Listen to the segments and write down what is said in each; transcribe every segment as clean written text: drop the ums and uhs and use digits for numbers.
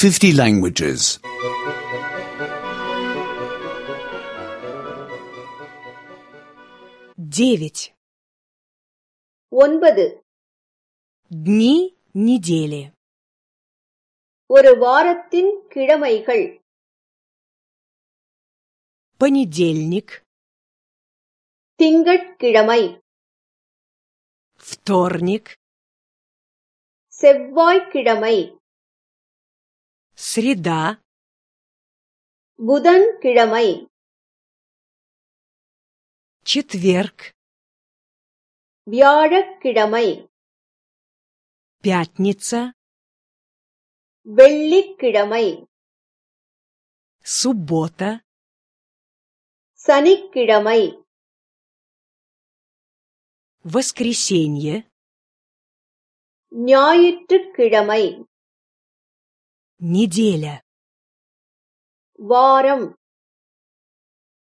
50 languages. 9. 9. Дни недели. ஒரு வாரத்தின் கிழமைகள். Понедельник, திங்கட்கிழமை, вторник, செவ்வாய்க்கிழமை, среда, புதன்கிழமை, четверг, வியாழக்கிழமை, пятница, வெள்ளிக்கிழமை, суббота, சனிக்கிழமை, воскресенье, ஞாயிற்றுக்கிழமை, неделя. வாரம்.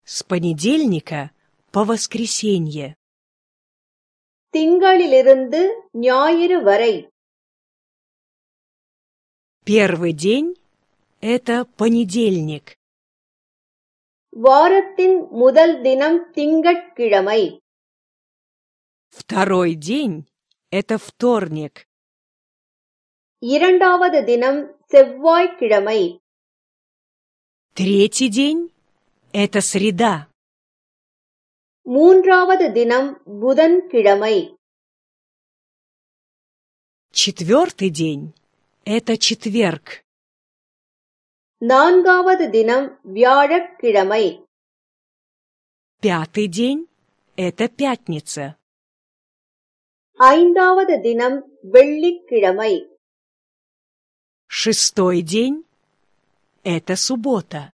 С понедельника по воскресенье. திங்களிலிருந்து ஞாயிறு வரை. Первый день – это понедельник. வாரத்தின் முதல் தினம் திங்கட்கிழமை. Второй день – это вторник. இரண்டாவது தினம் செவ்வாய்க்கிழமை. Третий день – это среда. மூன்றாவது தினம் புதன்கிழமை. Четвертый день – это четверг. நான்காவது தினம் வியாழக்கிழமை. Пятый день – это пятница. ஐந்தாவது தினம் வெள்ளிக்கிழமை. Шестой день – это суббота.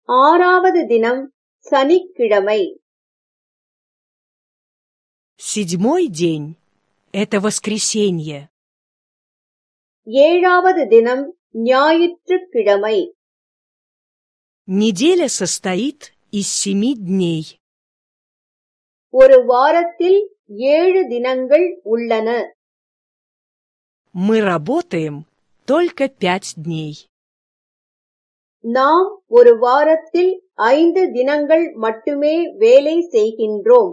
ஆறாவது தினம் சனிக்கிழமை. Седьмой день – это воскресенье. ஏழாவது தினம் ஞாயிற்றுக்கிழமை. Неделя состоит из 7 дней. ஒரு வாரத்தில் 7 தினங்கள் உள்ளன. Мы работаем только 5 дней. நாம் ஒரு வாரத்தில் 5 தினங்கள் மட்டுமே வேலை செய்கின்றோம்.